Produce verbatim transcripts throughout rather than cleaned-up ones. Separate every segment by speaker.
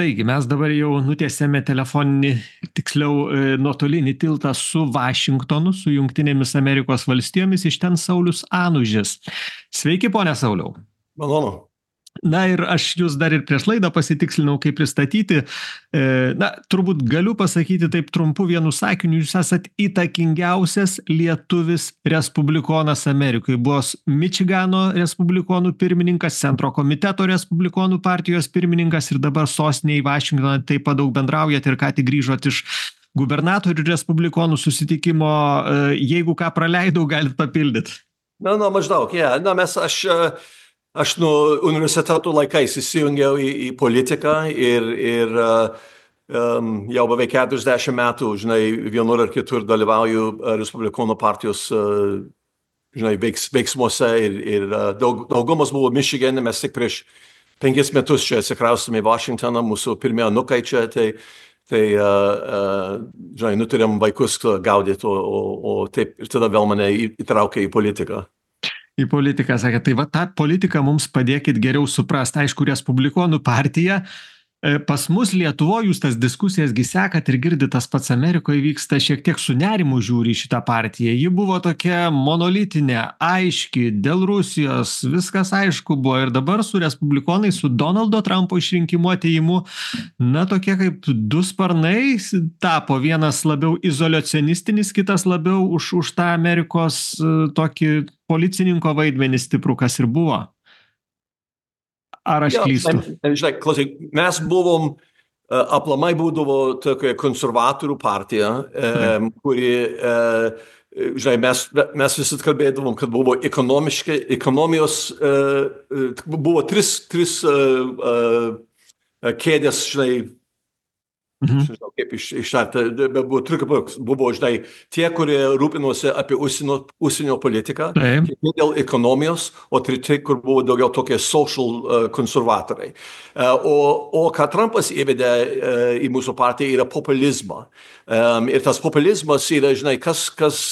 Speaker 1: Taigi, mes dabar jau nutiesėme telefoninį, tiksliau, e, nuotolinį tiltą su Vašingtonu, su Jungtinėmis Amerikos valstijomis, iš ten Saulius Anužis. Sveiki, pone Sauliau.
Speaker 2: Malonu.
Speaker 1: Na ir aš jūs dar ir prieš laidą pasitikslinau, kaip pristatyti. E, na, turbūt galiu pasakyti taip trumpu vienu sakiniu, jūs esat įtakingiausias lietuvis respublikonas Amerikoje. Buvęs Mičigano respublikonų pirmininkas, Centro komiteto respublikonų partijos pirmininkas ir dabar sostinėje į Vašingtoną taip pat daug bendraujat ir ką tik grįžot iš gubernatorių respublikonų susitikimo. E, jeigu ką praleidau, galit papildyti.
Speaker 2: Na, na, maždaug, yeah. Na, mes, aš... Aš nuo universiteto laikais įsijungiau į, į politiką ir, ir um, jau beveik keturiasdešimt metų, žinai, vienur ar kitur dalyvauju Respublikonų partijos, uh, žinai, veiks, veiksmuose ir, ir uh, daug, daugumas buvo Mičigane, mes tik prieš penkis metus čia atsikraustėme į Vašingtoną, mūsų pirmie anūkai čia, tai, tai uh, uh, žinai, nutarėm vaikus gaudyti, o, o, o taip ir tada vėl mane įtraukė į politiką.
Speaker 1: Į politiką, sakė, tai va tą politiką mums padėkit geriau suprasti. Aišku, Respublikonų partija, pas mus Lietuvoje jūs tas diskusijas gi sekat ir girdit, tas pats Amerikoje vyksta, šiek tiek su nerimu žiūri į šitą partiją. Ji buvo tokia monolitinė, aiški, dėl Rusijos, viskas aišku buvo. Ir dabar su Respublikonai, su Donaldo Trumpo išrinkimu atėjimu, na tokie kaip du sparnai tapo, vienas labiau izoliacionistinis, kitas labiau už, už tą Amerikos tokį policininko vaidmenį stiprų, kas ir buvo. Ar aš klystu?
Speaker 2: Ja, žinai, klausyk, mes buvom, uh, aplamai būdavo tokia konservatorių partija, um, kuri, uh, žinai, mes, mes visi kalbėdavom, kad buvo ekonomiškai, ekonomijos, uh, buvo tris, tris uh, uh, kėdės, žinai, Mhm. Žinau, kaip iš, ištarti, buvo, buvo, žinai, tie, kurie rūpinosi apie užsienio, užsienio politiką, kiti dėl ekonomijos, o treti, kur buvo daugiau tokie social uh, konservatoriai. Uh, o, o ką Trumpas įvedė uh, į mūsų partiją yra populizmą. Um, ir tas populizmas yra, žinai, kas, kas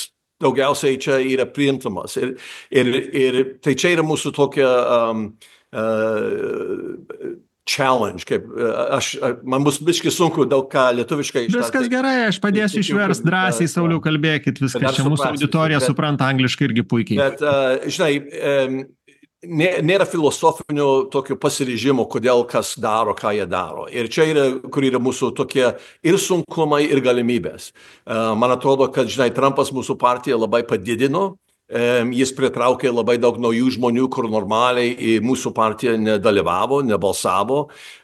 Speaker 2: daugiausiai čia yra priimtamas. Ir, ir, ir tai čia yra mūsų tokia... Um, uh, challenge, kaip aš, man bus biškai sunku daug ką lietuviškai ištarti.
Speaker 1: Viskas gerai, aš padėsiu išverst drąsiai, Sauliau, kalbėkit, viskas čia mūsų auditorija bet, supranta angliškai irgi puikiai.
Speaker 2: Bet, uh, žinai, um, nėra filosofinio tokio pasiryžimo, kodėl kas daro, ką jie daro. Ir čia yra, kur yra mūsų tokie ir sunkumai, ir galimybės. Uh, man atrodo, kad, žinai, Trumpas mūsų partiją labai padidino. Um, jis pritraukė labai daug naujų žmonių, kur normaliai į mūsų partiją nedalyvavo, nebalsavo.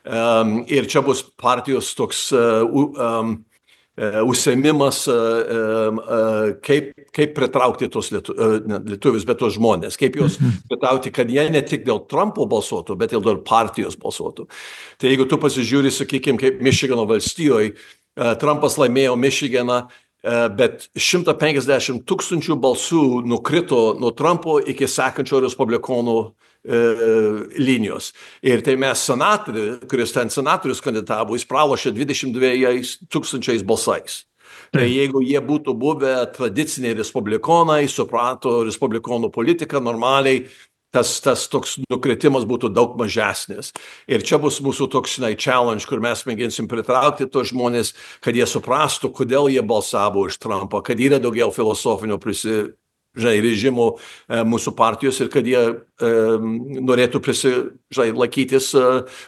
Speaker 2: Um, ir čia bus partijos toks uh, um, uh, užsiėmimas, uh, uh, kaip, kaip pritraukti tos lietu, uh, lietuvius, bet tos žmonės. Kaip juos pritraukti, kad jie ne tik dėl Trumpo balsuotų, bet ir dėl partijos balsuotų. Tai jeigu tu pasižiūri, sakykime, kaip Mičigano valstijoje, uh, Trumpas laimėjo Mičiganą, bet šimtas penkiasdešimt tūkstančių balsų nukrito nuo Trumpo iki sekančio respublikonų e, linijos. Ir tai mes senatorių, kuris ten senatorius kandidatavo, jis pralošė dvidešimt dviejais tūkstančiais balsais. Tai jeigu jie būtų buvę tradiciniai respublikonai, suprato respublikonų politiką normaliai, tas, tas toks nukritimas būtų daug mažesnis. Ir čia bus mūsų toks, žinai, challenge, kur mes mėginsim pritraukti tos žmonės, kad jie suprastų, kodėl jie balsavo už Trumpą, kad yra daugiau filosofinio prisi, žinai, režimų e, mūsų partijos ir kad jie e, norėtų prisi, žinai, laikytis e,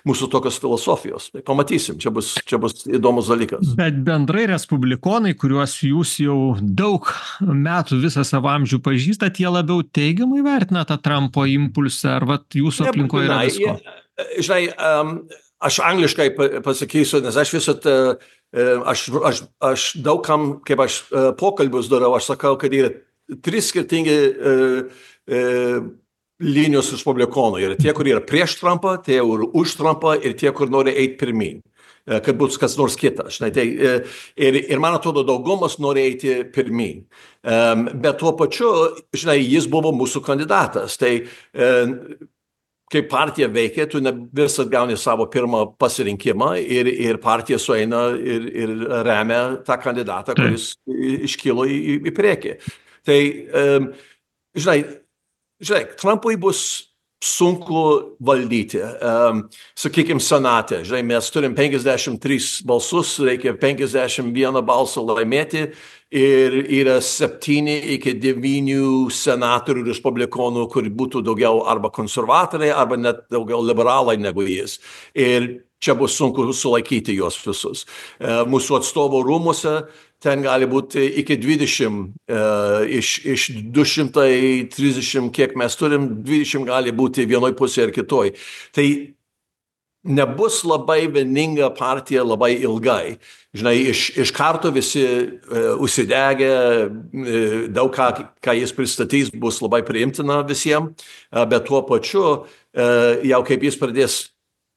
Speaker 2: mūsų tokios filosofijos. Tai pamatysim, čia bus, čia bus įdomus dalykas.
Speaker 1: Bet bendrai respublikonai, kuriuos jūs jau daug metų visą savo amžių pažįstat, jie labiau teigiamai vertina tą Trumpo impulsą, ar vat jūsų aplinkoje yra visko?
Speaker 2: Žinai, um, aš angliškai pasakysiu, nes aš visat, uh, aš, aš, aš daugam, kaip aš uh, pokalbius darau, aš sakau, kad yra trys skirtingi e, e, linijos respublikonų. Yra tie, kurie yra prieš Trumpą, tie, kur už Trumpą ir tie, kur nori eiti pirmin, e, kad būtų kas nors kitas. Žinai, tai, e, ir, ir man atrodo, daugumas nori eiti pirmin. E, bet tuo pačiu, žinai, jis buvo mūsų kandidatas. Tai e, kai partija veikia, tu ne visat gauni savo pirmą pasirinkimą ir, ir partija sueina ir, ir remia tą kandidatą, kuris iškilo į, į priekį. Tai, um, žinai, žinai, Trumpui bus sunku valdyti. Um, sakykime, senate, žinai, mes turim penkiasdešimt tris balsus, reikia penkiasdešimt vieną balsą laimėti ir yra septyni iki devynių senatorių respublikonų, kur būtų daugiau arba konservatoriai, arba net daugiau liberalai negu jis. Ir čia bus sunku sulaikyti juos visus. Uh, mūsų atstovų rūmuose ten gali būti iki dvidešimt, uh, iš, iš du šimtai trisdešimt, kiek mes turim, dvidešimt gali būti vienoj pusėje ir kitoj. Tai nebus labai vieninga partija labai ilgai. Žinai, iš, iš karto visi uh, užsidegę, uh, daug ką, ką jis pristatys, bus labai priimtina visiems, uh, bet tuo pačiu, uh, jau kaip jis pradės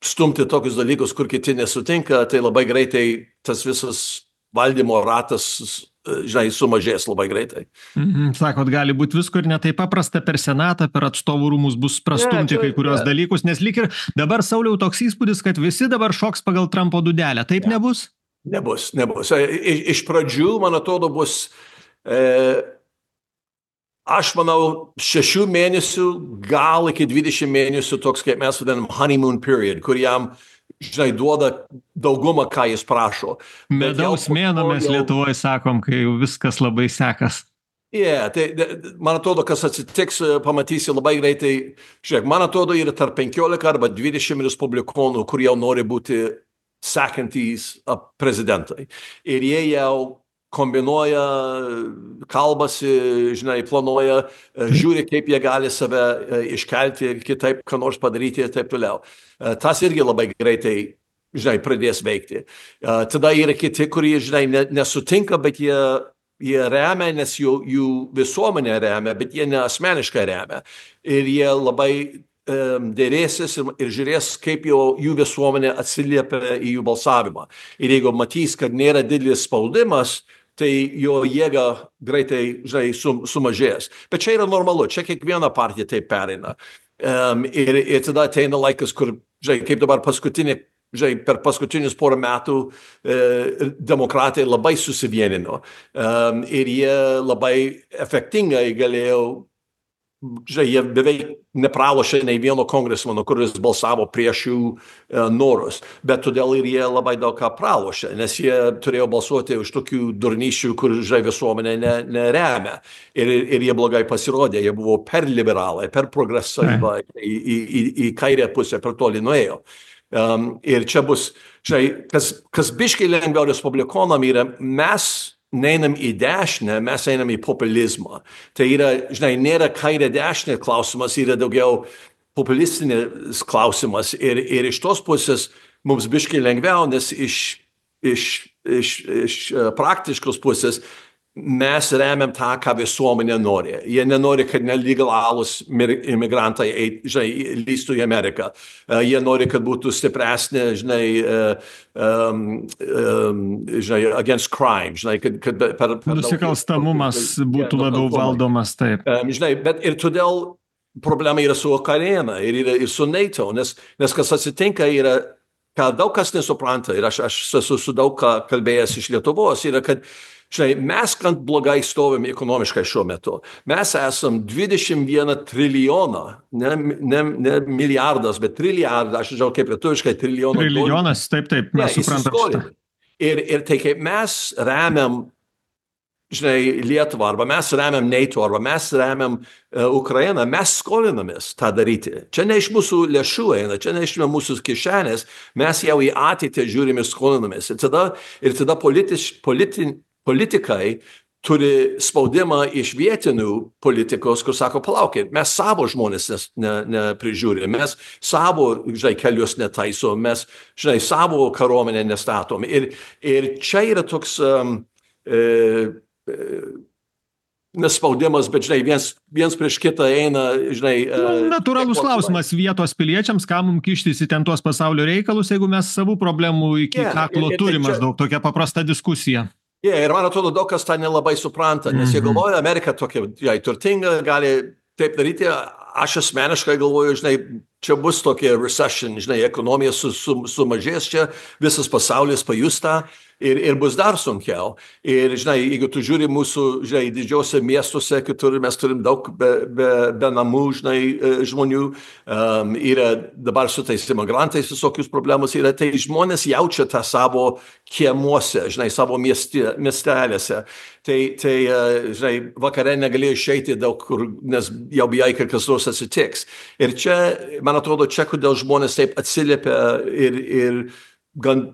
Speaker 2: stumti tokius dalykus, kur kiti nesutinka, tai labai greitai tas visas valdymo ratas, žinai, sumažės labai greitai.
Speaker 1: Mhm, sakot, gali būti visko ir ne taip paprasta per Senatą, per atstovų rūmus bus prastumti yeah, kai kurios yeah. dalykus, nes lyg ir dabar, Sauliau, toks įspūdis, kad visi dabar šoks pagal Trumpo dūdelę. Taip yeah. nebus?
Speaker 2: Nebus, nebus. Iš, iš pradžių, man atrodo, bus, e, aš manau, šešių mėnesių, gal iki dvidešimt mėnesių toks, kaip mes vadinam, honeymoon period, kur jam žinai, duoda daugumą, ką jis prašo.
Speaker 1: Medaus mėnuo mes jau... Lietuvoje sakom, kai jau viskas labai sekas.
Speaker 2: Yeah, tai, man atrodo, kas atsitiks, pamatysi labai greitai. Žiūrėk, man atrodo, yra tarp penkiolika arba dvidešimt respublikonų, kur jau nori būti sekantys prezidentai. Ir jie jau kombinuoja, kalbasi, žinai, planuoja, žiūri, kaip jie gali save iškelti, kitaip, ką nors padaryti ir taip toliau. Tas irgi labai greitai, žinai, pradės veikti. Tada yra kiti, kurie, žinai, nesutinka, bet jie, jie remia, nes jų, jų visuomenė remia, bet jie ne asmeniškai remia. Ir jie labai um, dėrėsis ir, ir žiūrės, kaip jau jų visuomenė atsiliepia į jų balsavimą. Ir jeigu matys, kad nėra didelis spaudimas, tai jo jėga greitai, žinai, sum, sumažės. Bet čia yra normalu, čia kiekviena partija taip pereina. Um, ir, ir tada ateina laikas, kur, žinai, kaip dabar paskutinė, žinai, per paskutinius porą metų e, demokratai labai susivienino. Um, ir jie labai efektingai galėjo, žinai, jie beveik nepralošė nei vieno kongresmano, kuris balsavo prieš jų e, norus. Bet todėl ir jie labai daug ką pralošė, nes jie turėjo balsuoti už tokių durnyšių, kur, žinai, visuomenė ne, neremia. Ir, ir jie blogai pasirodė, jie buvo per liberalai, per progresyvai, į, į, į, į kairę pusę per toli nuėjo. Um, ir čia bus, žinai, kas, kas biškai lengviau respublikonam yra, mes neinam į dešinę, mes einam į populizmą. Tai yra, žinai, nėra kairė dešinė klausimas, yra daugiau populistinis klausimas. Ir, ir iš tos pusės mums biškai lengviau, nes iš, iš, iš, iš praktiškos pusės mes remiam tą, ką visuomenė nori. Jie nenori, kad nelegalūs imigrantai, žinai, lįstų į Ameriką. Uh, jie nori, kad būtų stipresnė, žinai, uh, um, um, žinai, against crime, žinai, kad, kad per, per
Speaker 1: nusikalstamumas daug, būtų labiau valdomas, taip.
Speaker 2: Um, žinai, bet ir todėl problema yra su Ukraina ir, ir, ir su NATO, nes, nes kas atsitinka yra, ką daug kas nesupranta, ir aš, aš esu su daug ką kalbėjęs iš Lietuvos, yra, kad žinai, mes gan blogai stovim ekonomiškai šiuo metu. Mes esam dvidešimt vieną trilijoną, ne, ne, ne milijardas, bet trilijardą, aš žinau kaip lietuviškai trilijoną.
Speaker 1: Trilijonas, taip, taip, mes ja, suprantam šitą.
Speaker 2: Ir, ir tai kaip mes remiam, žinai, Lietuvą, arba mes remiam NATO, arba mes remiam uh, Ukrainą, mes skolinamės tą daryti. Čia ne iš mūsų lėšų eina, čia ne iš mūsų kišenės, mes jau į ateitį žiūrime ir skolinamės. Ir tada, ir tada politiš, politin, politikai turi spaudimą iš vietinių politikos, kur sako, palaukit, mes savo žmonės neprižiūrime, ne, ne mes savo, žinai, kelius netaisom, mes, žinai, savo kariuomenę nestatom. Ir, ir čia yra toks um, e, e, nespaudimas, bet, žinai, viens, viens prieš kitą eina, žinai...
Speaker 1: Nu, natūralus klausimas vietos piliečiams, ką mums kištis į ten tuos pasaulio reikalus, jeigu mes savų problemų iki yeah, kaklo turim maždaug, tokia paprasta diskusija.
Speaker 2: Yeah, ir man atrodo, daug kas tą nelabai supranta, nes jie galvoja, Amerika tokia, jai turtinga, gali taip daryti. Aš asmeniškai galvoju, žinai, čia bus tokia recession, žinai, ekonomija su, su, sumažės čia, visas pasaulis pajus tą. ir, ir bus dar sunkiau. Ir, žinai, jeigu tu žiūri mūsų, žinai, didžiausiose miestuose, kitur mes turim daug be, be, be namų, žinai, žmonių, um, yra dabar su tais imigrantais visokius problemus, yra tai žmonės jaučia tą savo kiemuose, žinai, savo miesti, miestelėse. Tai, tai žinai, vakare negalėjo išeiti daug kur, nes jau bijai, kad kas nors atsitiks. Ir čia, man atrodo, čia, kodėl žmonės taip atsiliepia ir, ir gan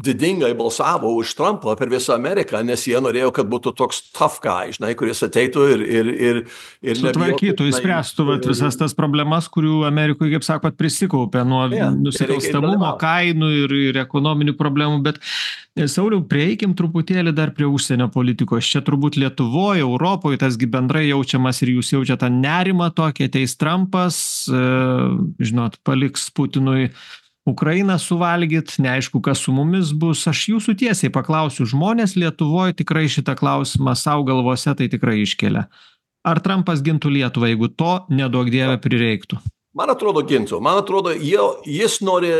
Speaker 2: didingai balsavo už Trumpą per visą Ameriką, nes jie norėjo, kad būtų toks tough guy, žinai, kuris ateitų ir... ir, ir, ir
Speaker 1: sutvarkytų, įspręstų vat, visas tas problemas, kurių Amerikoje, kaip sakot, prisikaupė nuo yeah, nusikalstamumo, kainų ir, ir ekonominių problemų, bet Sauliau, prieikim truputėlį dar prie užsienio politikos. Čia turbūt Lietuvoje, Europoje, tasgi bendrai jaučiamas ir jūs jaučiate tą nerimą tokį, ateis Trumpas, žinot, paliks Putinui Ukrainą suvalgyt, neaišku, kas su mumis bus. Aš jūsų tiesiai paklausiu, žmonės Lietuvoje tikrai šitą klausimą savo galvose tai tikrai iškelia. Ar Trumpas gintų Lietuvą, jeigu to neduok Dieve prireiktų?
Speaker 2: Man atrodo gintų. Man atrodo, jis nori,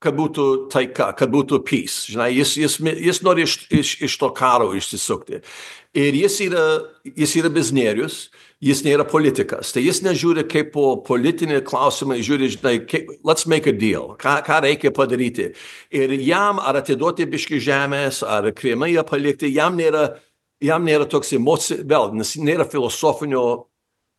Speaker 2: kad būtų taika, kad būtų peace. Žinai, jis, jis, jis nori iš, iš, iš to karo išsisukti. Ir jis yra, jis yra biznierius. Jis nėra politikas, tai jis nežiūri kaip po politinį klausimą, žiūri, žinai, kaip, let's make a deal, ką, ką reikia padaryti. Ir jam ar atiduoti biškį žemės, ar Krymą ją palikti, jam nėra, jam nėra toks emocijų, vėl, nes nėra filosofinio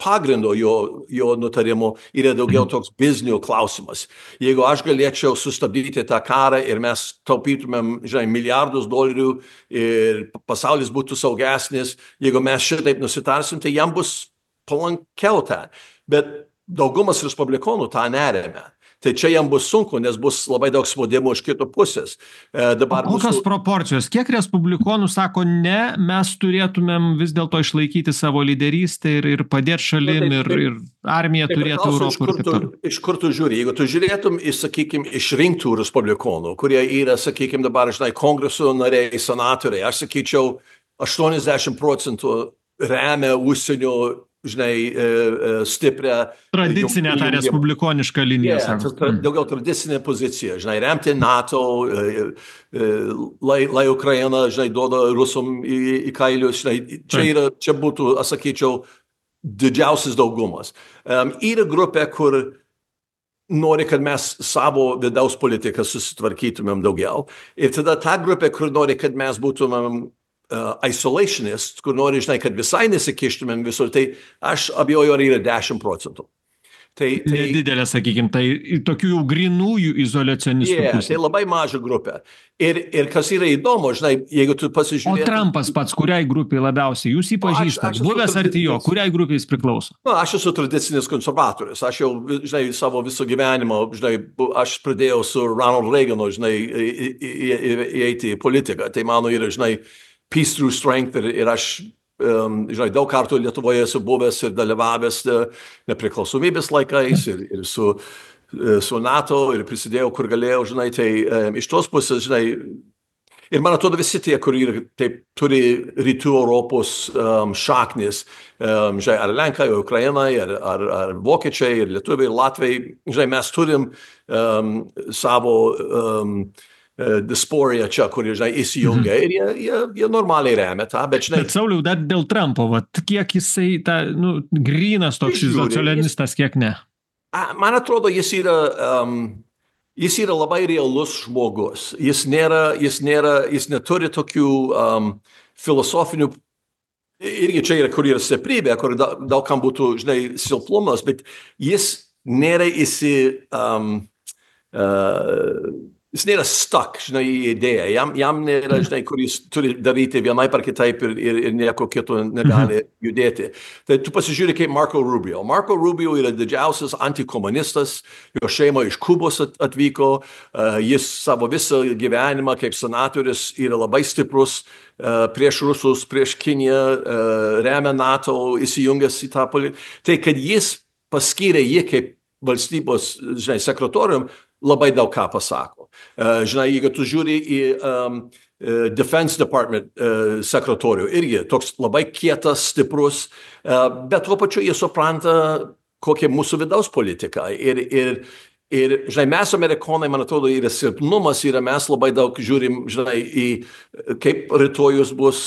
Speaker 2: pagrindo jo, jo nutarimo, yra daugiau toks biznio klausimas. Jeigu aš galėčiau sustabdyti tą karą ir mes taupytumėm, žinai, milijardus dolerių ir pasaulis būtų saugesnis, jeigu mes šitaip nusitarsim, tai jam bus palankiau tą, bet daugumas respublikonų tą neremia. Tai čia jam bus sunku, nes bus labai daug spaudimo iš kito pusės. E, dabar
Speaker 1: kokios
Speaker 2: mūsų...
Speaker 1: proporcijos? Kiek respublikonų sako, ne, mes turėtumėm vis dėlto išlaikyti savo lyderystę ir, ir padėti šalim, ir, ir armija turėtų Europą ir taip toliau.
Speaker 2: Iš kur tu žiūri? Jeigu tu žiūrėtum, sakykime, išrinktų respublikonų, kurie yra, sakykime, dabar, žinai, kongreso nariai, senatoriai, aš sakyčiau, aštuoniasdešimt procentų remia užsienio, žinai, stiprią...
Speaker 1: Tradicinę tą respublikonišką liniją.
Speaker 2: Yeah, tra, daugiau tradicinė pozicija, žinai, remti NATO, lai, lai Ukraina, žinai, duoda Rusom į, į kailius, žinai, čia, yra, čia būtų, aš sakyčiau, didžiausias daugumas. Um, yra grupė, kur nori, kad mes savo vidaus politiką susitvarkytumėm daugiau. Ir tada ta grupė, kur nori, kad mes būtumėm Uh, isolationist, kur nori, žinai, kad visai nesikištumėm visur, tai aš abejoju, ar yra dešimt procentų. Tai, tai,
Speaker 1: nedidelė, sakykime, tai tokių jau grinųjų izoliacionistų
Speaker 2: yeah,
Speaker 1: pusė.
Speaker 2: Tai labai maža grupė. Ir, ir kas yra įdomu, žinai, jeigu tu pasižiūrėtum...
Speaker 1: O Trumpas pats, kuriai grupiai labiausiai? Jūs jį pažįstat, buvęs arti jo, kuriai grupiai jis priklauso?
Speaker 2: Na, aš esu tradicinis konservatorius. Aš jau, žinai, savo viso gyvenimo, žinai, aš pradėjau su Ronald Reaganu, žinai, įeiti į politiką. Tai mano yra, žinai, peace through strength ir, ir aš, um, žinai, daug kartų Lietuvoje esu buvęs ir dalyvavęs nepriklausomybės laikais ir, ir su, su NATO ir prisidėjau, kur galėjau, žinai, tai um, iš tos pusės, žinai, ir man atrodo visi tie, kur ir taip turi rytų Europos um, šaknis, um, žinai, ar Lenkai, ar Ukrainai, ar, ar, ar Vokiečiai, ir Lietuviai, ir Latviai, žinai, mes turim um, savo... Um, diasporiją čia, kur, žinai, įsijungia ir jie, jie, jie normaliai remia tą, bet, žinai...
Speaker 1: Bet, Sauliau, dar dėl Trumpo, vat, kiek jisai, ta, nu, grynas toks izoliacionistas, kiek ne?
Speaker 2: Man atrodo, jis yra, um, jis yra labai realus žmogus. Jis nėra, jis nėra, jis neturi tokių um, filosofinių, irgi čia yra, kur yra stiprybė, kur da, daug kam būtų, žinai, silpnumas, bet jis nėra įsi... Um, uh, Jis nėra stuck, žinai, į idėją. Jam, jam nėra, žinai, kur jis turi daryti vienai par kitaip ir, ir, ir nieko kito negali judėti. Tai tu pasižiūrė kaip Marco Rubio. Marco Rubio yra didžiausias antikomunistas, jo šeima iš Kubos atvyko, uh, jis savo visą gyvenimą kaip senatorius yra labai stiprus uh, prieš Rusus, prieš Kiniją, uh, remia NATO, įsijungęs į tą politiką. Tai kad jis paskyrė jį kaip valstybės, žinai, sekretorium, labai daug ką pasako. Uh, žinai, jeigu tu žiūri į um, uh, Defense Department uh, sekretorių, irgi toks labai kietas, stiprus, uh, bet tuo pačiu jie supranta, kokia mūsų vidaus politika. Ir, ir, Ir, žinai, mes amerikonai, man atrodo, yra silpnumas, yra mes labai daug žiūrim, žinai, į kaip rytojus bus,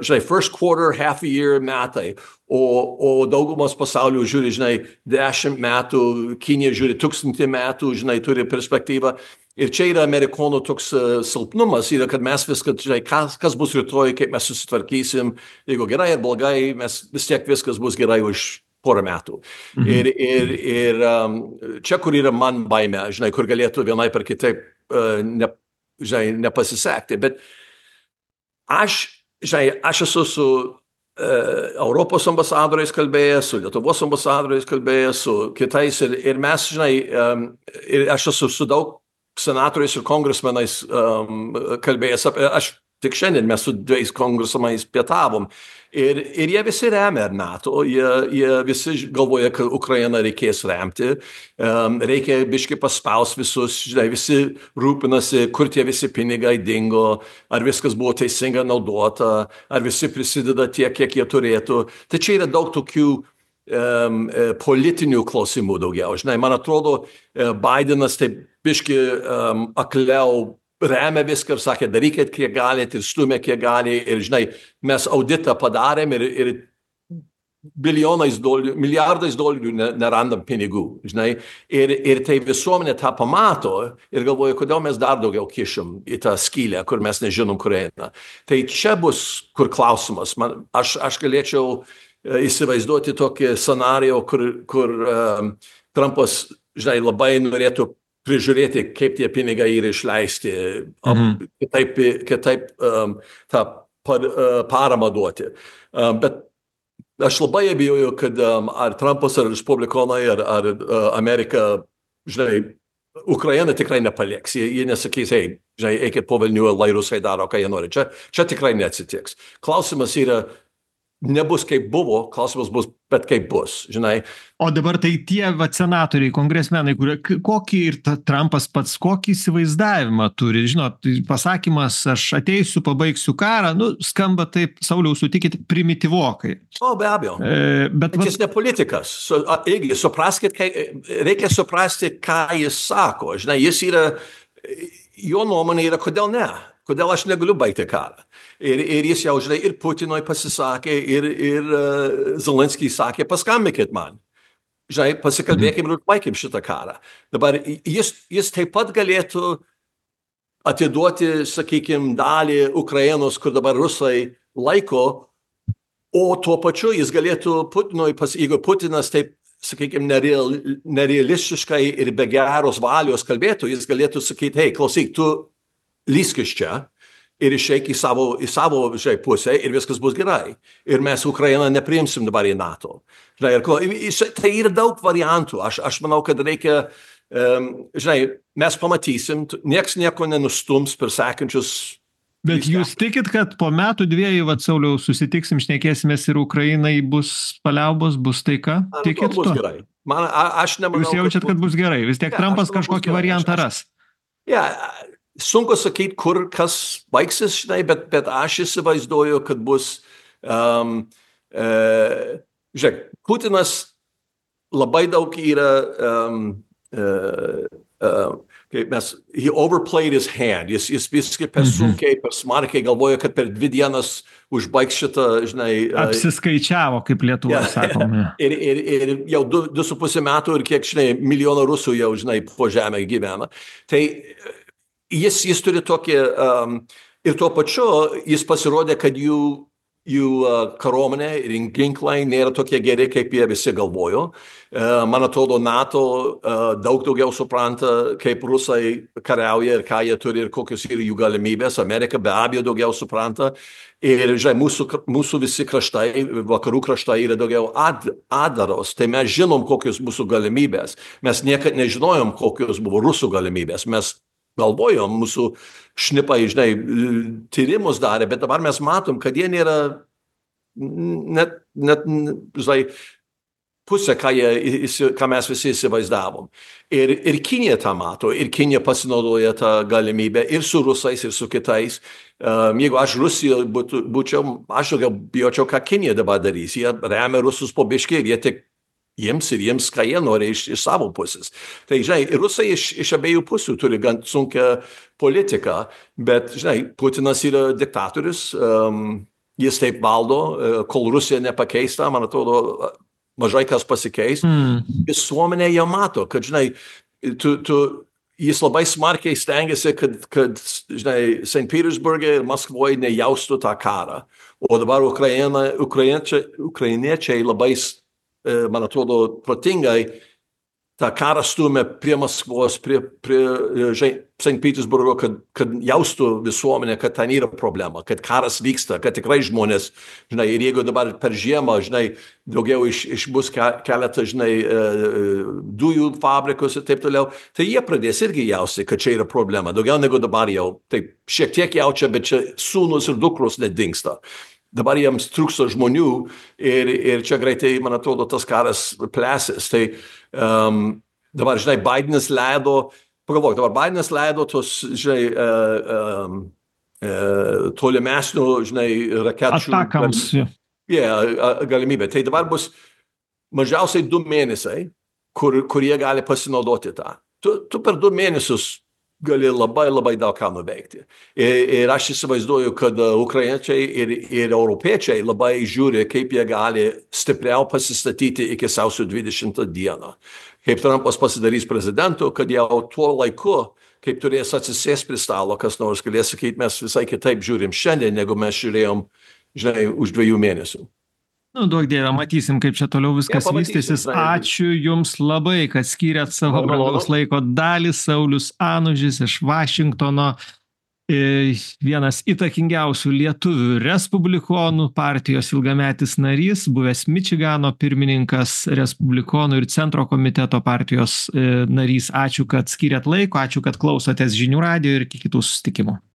Speaker 2: žinai, first quarter, half a year metai, o, o daugumas pasaulio žiūri, žinai, dešimt metų, Kinija žiūri tūkstantį metų, žinai, turi perspektyvą. Ir čia yra amerikonų toks uh, silpnumas, yra, kad mes viską, žinai, kas, kas bus rytoj, kaip mes susitvarkysim, jeigu gerai ar blogai, mes vis tiek viskas bus gerai už porą metų. Mhm. Ir, ir, ir um, čia, kur yra man baime, žinai, kur galėtų vienai per kitaip uh, ne, žinai, nepasisekti. Bet aš, žinai, aš esu su uh, Europos ambasadoriais kalbėjęs, su Lietuvos ambasadoriais kalbėjęs, su kitais. Ir, ir mes, žinai, um, ir aš esu su daug senatoriais ir kongresmenais um, kalbėjęs. Apie, aš tik šiandien mes su dviejais kongresmenais pietavom. Ir, ir jie visi remia NATO, jie, jie visi galvoja, kad Ukrainą reikės remti, um, reikia biškai paspaus visus, žinai, visi rūpinasi, kur tie visi pinigai dingo, ar viskas buvo teisingai naudota, ar visi prisideda tiek, kiek jie turėtų. Tai čia yra daug tokių um, politinių klausimų daugiau. Žinai, man atrodo, Bidenas taip biškai um, akliau remia viską ir sakė, darykit, kiek galite, ir stumė, kiek gali. Ir, žinai, mes auditą padarėm ir, ir bilijonais dolerių, milijardais dolerių nerandam pinigų, žinai. Ir, ir tai visuomenė tą pamato ir galvoja, kodėl mes dar daugiau kišim į tą skylę, kur mes nežinom, kur eina. Tai čia bus, kur klausimas. Man, aš, aš galėčiau uh, įsivaizduoti tokį scenarijų, kur, kur um, Trumpas, žinai, labai norėtų prižiūrėti, kaip tie pinigai yra išleisti, um, mhm. kitaip, kitaip um, tą par, uh, paramą duoti. Um, bet aš labai abejoju, kad um, ar Trumpas, ar Respublikonai, ar, ar uh, Amerika, žinai, Ukraina tikrai nepalieks. Jie, jie nesakys, hei, žinai, eikit po velnių, lai rusai daro, ką jie nori. Čia, čia tikrai neatsitiks. Klausimas yra, nebus kaip buvo, klausimas bus, bet kaip bus, žinai.
Speaker 1: O dabar tai tie va, senatoriai, kongresmenai, kurie, kokį ir ta, Trumpas pats, kokį įsivaizdavimą turi, žinot, pasakymas, aš ateisiu, pabaigsiu karą, nu, skamba taip, Sauliau, sutikit, primityvokai.
Speaker 2: O, be abejo. E, bet bet jis ne politikas. Su, irgi, supraskit, kai, reikia suprasti, ką jis sako, žinai, jis yra, jo nuomonė yra, kodėl ne? Kodėl aš negaliu baigti karą? Ir, ir jis jau, žinai, ir Putinui pasisakė, ir, ir uh, Zelenskij sakė, paskambykit man. Žinai, pasikalbėkim ir baigim šitą karą. Dabar jis, jis taip pat galėtų atiduoti, sakykime, dalį Ukrainos, kur dabar rusai laiko, o tuo pačiu jis galėtų Putinui, pas, jeigu Putinas taip, sakykime, nereal, nerealistiškai ir be geros valios kalbėtų, jis galėtų sakyti, hei, klausyk, tu lysk iš čia ir išeik į savo, į savo žinai, pusę ir viskas bus gerai. Ir mes Ukrainą nepriimsim dabar į NATO. Žinai, ir, tai yra daug variantų. Aš, aš manau, kad reikia, um, žinai, mes pamatysim, nieks nieko nenustums per sekančius.
Speaker 1: Bet jūs tikit, kad po metų dviejų, vat, Sauliau, susitiksim, šnekėsimės ir Ukrainai bus paliaubos, bus taika? Tikit
Speaker 2: bus
Speaker 1: to?
Speaker 2: Gerai. Man, a, aš nemanau,
Speaker 1: jūs jaučiat, kad, kad bus gerai? Vis tiek ja, Trumpas kažkokį variantą ras.
Speaker 2: Ja, sunku sakyti, kur kas baigsis, žinai, bet, bet aš įsivaizduoju, kad bus, um, uh, žiūrėk, Putinas labai daug yra, um, uh, uh, kaip mes, he overplayed his hand, jis, jis viskai per sunkiai, per smarkiai galvoja, kad per dvi dienas užbaigs šitą, žinai.
Speaker 1: Apsiskaičiavo, kaip Lietuva, yeah, sakome.
Speaker 2: Ir, ir, ir jau du, du su pusė metų ir kiek, žinai, milijoną rusų jau, žinai, po žemę gyvena. Tai Jis, jis turi tokį, um, ir tuo pačiu jis pasirodė, kad jų, jų uh, karuomenė ir ginklai nėra tokie geri, kaip jie visi galvojo. Uh, man atrodo, NATO uh, daug daugiau supranta, kaip rusai kariauja ir ką jie turi ir kokios yra jų galimybės. Amerika be abejo daugiau supranta. Ir, žinai, mūsų, mūsų visi kraštai, vakarų kraštai yra daugiau ad, adaros. Tai mes žinom, kokios mūsų galimybės. Mes niekad nežinojom, kokios buvo rusų galimybės. Mes galvojom, mūsų šnipai, žinai, tyrimus darė, bet dabar mes matom, kad jie nėra net, net žinai, pusė, ką, jie, ką mes visi įsivaizdavom. Ir, ir Kinija tą mato, ir Kinija pasinaudoja tą galimybę ir su rusais, ir su kitais. Um, jeigu aš Rusijoje būtų, būčiau, aš daugiau bijočiau, ką Kinija dabar darys. Jie remia rusus po biškį ir jie tik jiems ir jiems, ką jie nori iš, iš savo pusės. Tai, žinai, rusai iš, iš abiejų pusių turi gan sunkią politiką, bet, žinai, Putinas yra diktatorius, um, jis taip valdo, kol Rusija nepakeista, man atrodo, mažai kas pasikeis. Mm. Visuomenė jau mato, kad, žinai, tu, tu, jis labai smarkiai stengiasi, kad, kad žinai, Sankt Petersburgė ir Maskvoje nejaustų tą karą. O dabar Ukraina, ukrainiečiai, ukrainiečiai labai, man atrodo, protingai tą karą stumia prie Maskvos, prie, prie Sankt Petersburgo, kad, kad jaustų visuomenė, kad ten yra problema, kad karas vyksta, kad tikrai žmonės, žinai, ir jeigu dabar per žiemą, žinai, daugiau iš, iš bus keletą, žinai, dujų fabrikus ir taip toliau, tai jie pradės irgi jausti, kad čia yra problema. Daugiau negu dabar jau, taip, šiek tiek jaučia, bet čia sūnus ir dukros nedingsta. Dabar jiems trūksta žmonių ir, ir čia greitai, man atrodo, tas karas plėsis. Tai um, dabar, žinai, Bidenas leido, pagalvok, dabar Bidenas leido tos, žinai, uh, um, uh, tolimesnių, žinai, rakečių.
Speaker 1: Atakams.
Speaker 2: Yeah, galimybė. Tai dabar bus mažiausiai du mėnesiai, kur, kur jie gali pasinaudoti tą. Tu, tu per du mėnesius gali labai, labai daug ką nuveikti. Ir, ir aš įsivaizduoju, kad ukrainiečiai ir, ir europiečiai labai žiūri, kaip jie gali stipriau pasistatyti iki sausio dvidešimtą dieną. Kaip Trumpas pasidarys prezidentu, kad jau tuo laiku, kaip turės atsisės prie stalo, kas nors galės sakyti, mes visai kitaip žiūrim šiandien, negu mes žiūrėjom, žinai, už dviejų mėnesių.
Speaker 1: Nu, duok Dieve, matysim, kaip čia toliau viskas ja, vystysis. Ačiū Jums labai, kad skyrėt savo brangaus laiko dalį. Saulius Anužis iš Vašingtono, vienas įtakingiausių lietuvių respublikonų partijos ilgametis narys, buvęs Mičigano pirmininkas, respublikonų ir centro komiteto partijos narys. Ačiū, kad skyrėt laiko, ačiū, kad klausotės Žinių radijo ir iki kitų susitikimų.